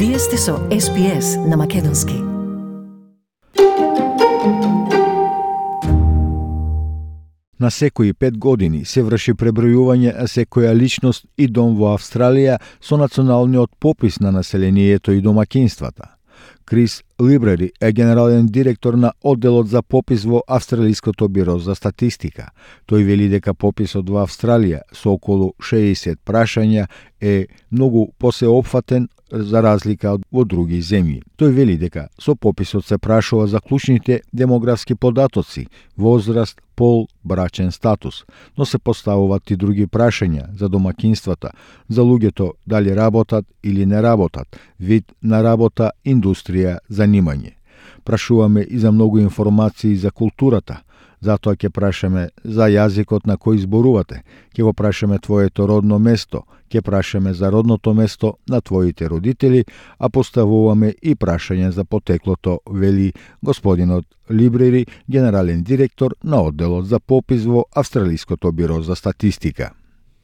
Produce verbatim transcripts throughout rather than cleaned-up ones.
Вие сте со Ес Би Ес на Македонски. На секои пет години се врши пребројување на секоја личност и дом во Австралија со националниот попис на населението и домакинствата. Крис Либрери е генерален директор на одделот за попис во Австралиското биро за статистика. Тој вели дека пописот во Австралија со околу шеесет прашања е многу посеопфатен за разлика од во други земји. Тој вели дека со пописот се прашува за клучните демографски податоци, возраст, пол, брачен статус, но се поставуваат и други прашања за домакинствата, за луѓето дали работат или не работат, вид на работа, индустрија, занимање. Прашуваме и за многу информации за културата. Затоа ќе прашаме за јазикот на кој зборувате, ќе го прашаме твоето родно место, ќе прашаме за родното место на твоите родители, а поставуваме и прашање за потеклото, вели господинот Либрери, генерален директор на одделот за попис во Австралиското биро за статистика.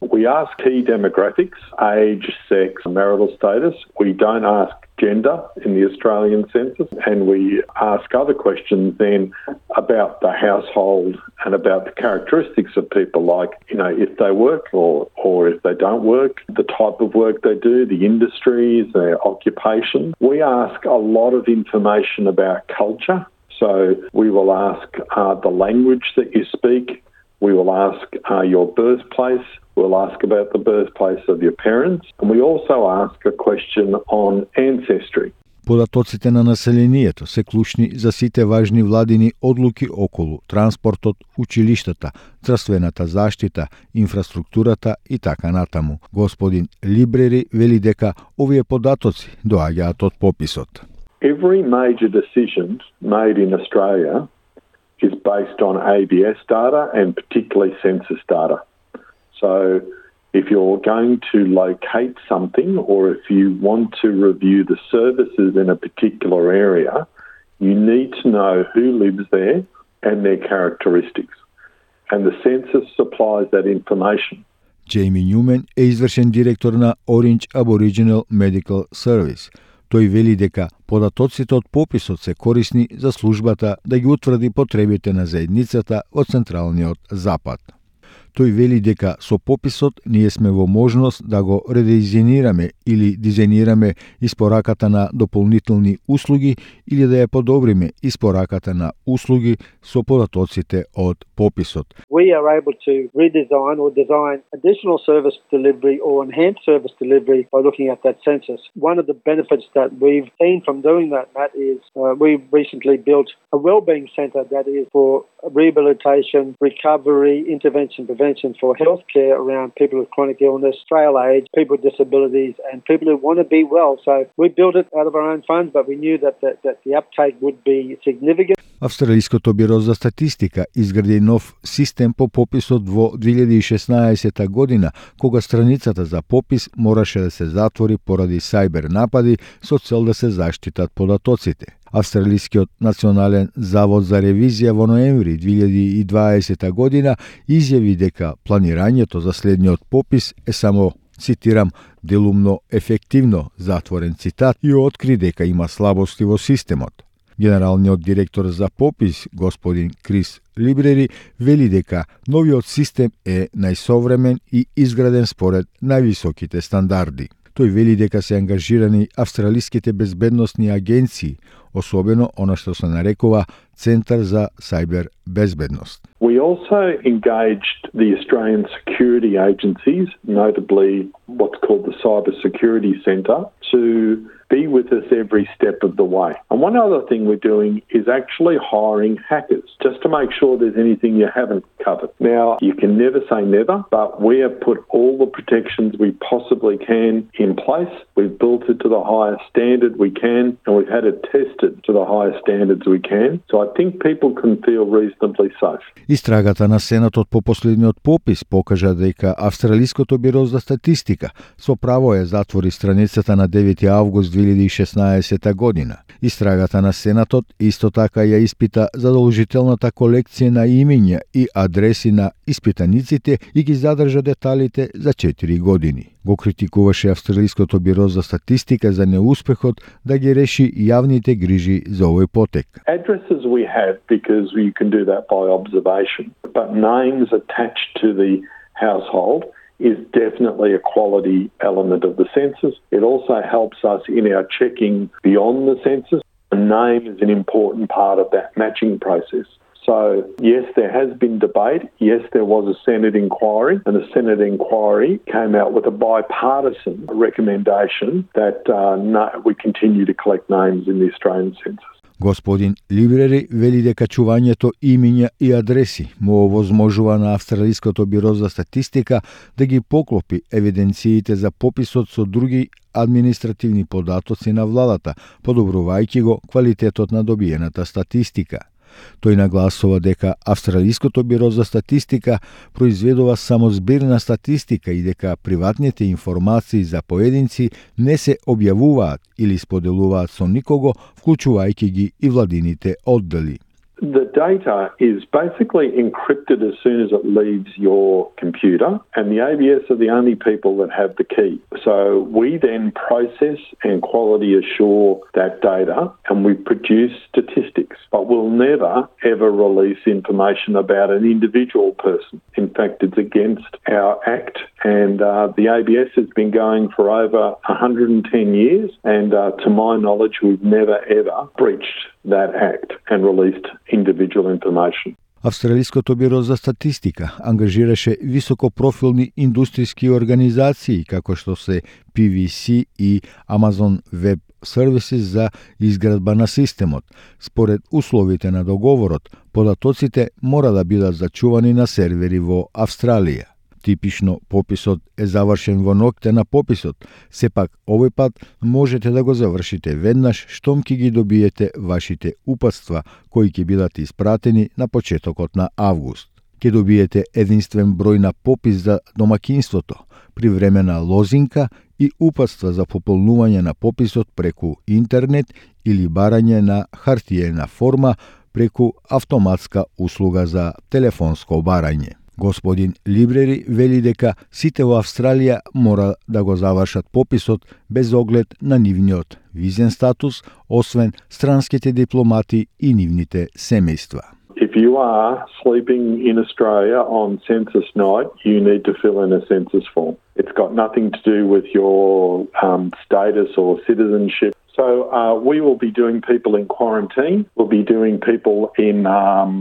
We ask key demographics, age, sex, marital status. We don't ask gender in the Australian census, and we ask other questions then about the household and about the characteristics of people, like, you know, if they work or, or if they don't work, the type of work they do, the industries, their occupation. We ask a lot of information about culture. So we will ask uh, the language that you speak. We will ask uh, your birthplace. We'll ask about the birthplace of your parents. And we also ask a question on ancestry. Податоците на населението се клучни за сите важни владини одлуки околу транспортот, училиштата, здравствената заштита, инфраструктурата и така натаму. Господин Либрери вели дека овие податоци доаѓаат од пописот. Every major decision made in Australia is based on A B S data and particularly census data. So if you're going to locate something or if you want to review the services in a particular area, you need to know who lives there and their characteristics. And the census supplies that information. Джейми Нјумен е извршен директор на Orange Aboriginal Medical Service. Тој вели дека податоците од пописот се корисни за службата да ги утврди потребите на заедницата во Централниот Запад. Тој вели дека со пописот ние сме во можност да го редизајнираме или дизајнираме испораката на дополнителни услуги или да ја подобриме испораката на услуги со податоците од пописот. We are able to redesign or design additional service delivery or enhance service delivery by looking at that census. One of the benefits that we've seen from doing that, Matt, is uh, we've recently built a wellbeing centre that is for rehabilitation, recovery, intervention, prevention for healthcare around people with chronic illness, frail age, people with disabilities, and people who want to be well. So we built it out of our own funds, but we knew that the, that the uptake would be significant. Австралиското биро за статистика изгради нов систем по пописот во две илјади и шеснаесета година, кога страницата за попис мораше да се затвори поради сајбер напади со цел да се заштитат податоците. Австралискиот национален завод за ревизија во ноември две илјади и дваесета година изјави дека планирањето за следниот попис е само, цитирам, делумно ефективно, затворен цитат, и откри дека има слабости во системот. Генералниот директор за попис, господин Крис Либрери, вели дека новиот систем е најсовремен и изграден според највисоките стандарди. Тој вели дека се ангажирани австралиските безбедносни агенции, особено она што се нарекува Центар за сајбер безбедност. We also engaged the Australian security agencies, notably what's called the Cyber Security Centre, to be with us every step of the way. And one other thing we're doing is actually hiring hackers, just to make sure there's anything you haven't covered. Now, you can never say never, but we have put all the protections we possibly can in place. We've built it to the highest standard we can, and we've had it tested to the highest standards we can. So I think people can feel reasonably safe. Истрагата на Сенатот по последниот попис покажа дека Австралиското биро за статистика со право ја затвори страницата на девети август две две илјади и шеснаесетта година. Истрагата на Сенатот исто така ја испита задолжителната колекција на имиња и адреси на испитаниците и ги задржа деталите за четири години. Го критикуваше Австралиското биро за статистика за неуспехот да ги реши јавните грижи за овој потек. Addresses we have because you can do that by observation, but names attached to the household is definitely a quality element of the census. It also helps us in our checking beyond the census. A name is an important part of that matching process. So, yes, there has been debate. Yes, there was a Senate inquiry, and the Senate inquiry came out with a bipartisan recommendation that uh, no, we continue to collect names in the Australian census. Господин Либрери вели дека чувањето имиња и адреси му овозможува на Австралиското биро за статистика да ги поклопи евиденциите за пописот со други административни податоци на владата, подобрувајќи го квалитетот на добиената статистика. Тој нагласува дека Австралиското биро за статистика произведува само збирна статистика и дека приватните информации за поединци не се објавуваат или споделуваат со никого, вклучувајќи ги и владините оддели. The data is basically encrypted as soon as it leaves your computer, and the A B S are the only people that have the key. So we then process and quality assure that data, and we produce statistics, but we'll never ever release information about an individual person. In fact, it's against our Act, and uh, the A B S has been going for over one hundred ten years, and uh, to my knowledge, we've never ever breached that Act and released individual information. Австралиското биро за статистика ангажираше високопрофилни индустријски организации како што се P V C и Amazon Web Services за изградба на системот. Според условите на договорот, податоците мора да бидат зачувани на сервери во Австралија. Типично пописот е завршен во ноќта на пописот, сепак овој пат можете да го завршите веднаш штом ќе ги добиете вашите упатства кои ќе бидат испратени на почетокот на август. Ќе добиете единствен број на попис за домакинството, привремена лозинка и упатства за пополнување на пописот преку интернет или барање на хартиена форма преку автоматска услуга за телефонско барање. Господин Либрери вели дека сите во Австралија мора да го завршат пописот без оглед на нивниот визен статус, освен странските дипломати и нивните семејства. If you are sleeping in Australia on census night, you need to fill in a census form. It's got nothing to do with your um, status or citizenship. So uh, we will be doing people in quarantine. We'll be doing people in um,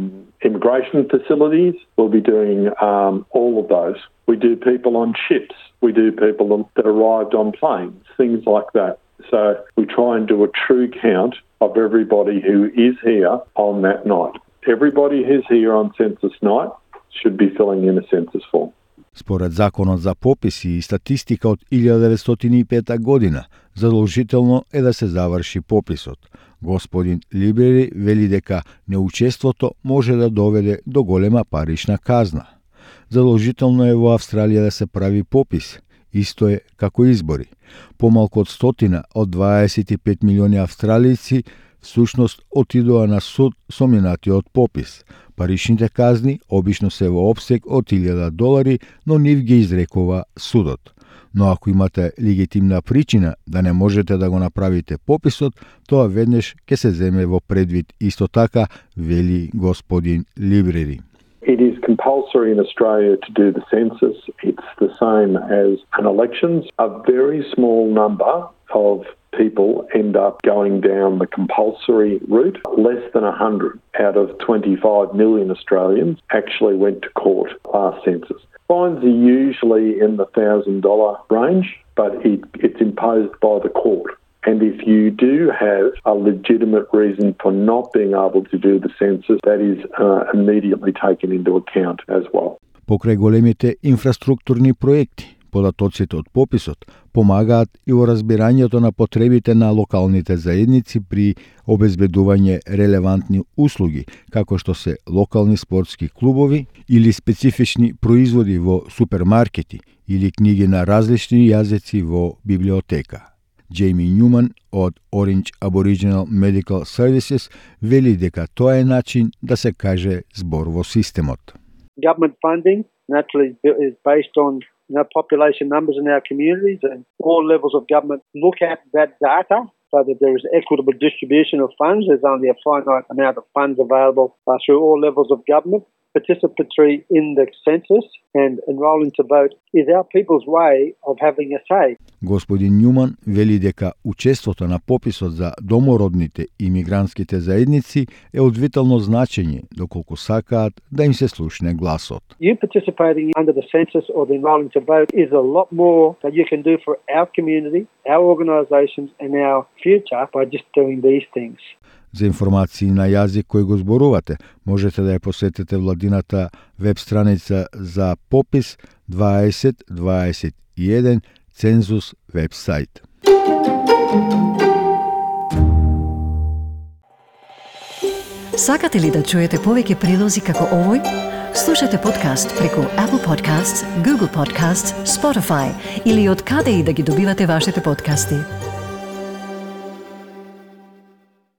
immigration facilities. We'll be doing um, all of those. We do people on ships. We do people that arrived on planes, things like that. So we try and do a true count of everybody who is here on that night. Everybody who's here on census night should be filling in a census form. Според Законот за пописи и статистика од илјада деветстотини и пета година, задолжително е да се заврши пописот. Господин Либери вели дека неучеството може да доведе до голема парична казна. Задолжително е во Австралија да се прави попис, исто е како избори. Помалку од стотина од дваесет и пет милиони австралици всушност отидоа на суд со минатиот попис. Паричните казни обично се во опсег од илјада долари, но нив ги изрекува судот. Но ако имате легитимна причина да не можете да го направите пописот, тоа веднаш ќе се земе во предвид исто така, вели господин Либрери. It is compulsory in Australia to do the census. It's the same as an elections. A very small number of people end up going down the compulsory route. Less than one hundred out of twenty-five million Australians actually went to court last census. Fines are usually in the one thousand dollars range, but it, it's imposed by the court. And if you do have a legitimate reason for not being able to do the census, that is uh, immediately taken into account as well. Покрај големите инфраструктурни проекти, податоците од пописот помагаат и во разбирањето на потребите на локалните заедници при обезбедување релевантни услуги, како што се локални спортски клубови или специфични производи во супермаркети или книги на различни јазици во библиотека. Джейми Нјуман од Orange Aboriginal Medical Services вели дека тоа е начин да се каже збор во системот. Government funding naturally is based on you know, population numbers in our communities, and all levels of government look at that data so that there is equitable distribution of funds. There's only a finite amount of funds available uh, through all levels of government. Participatory in the census and enrolling to vote is our people's way of having a say. Господин Нјуман вели дека учеството на пописот за домородните и мигрантските заедници е од витално значење доколку сакаат да им се слушне гласот. You participating under the census or the enrolling to vote is a lot more that you can do for our community, our organisations and our future by just doing these things. За информации на јазик кој го зборувате, можете да ја посетите владината веб страница за попис дваесет дваесет и еден Цензус вебсайт. Сакате ли да чуете повеќе прилози како овој? Слушате подкаст преку Apple Podcasts, Google Podcasts, Spotify или од каде и да ги добивате вашите подкасти.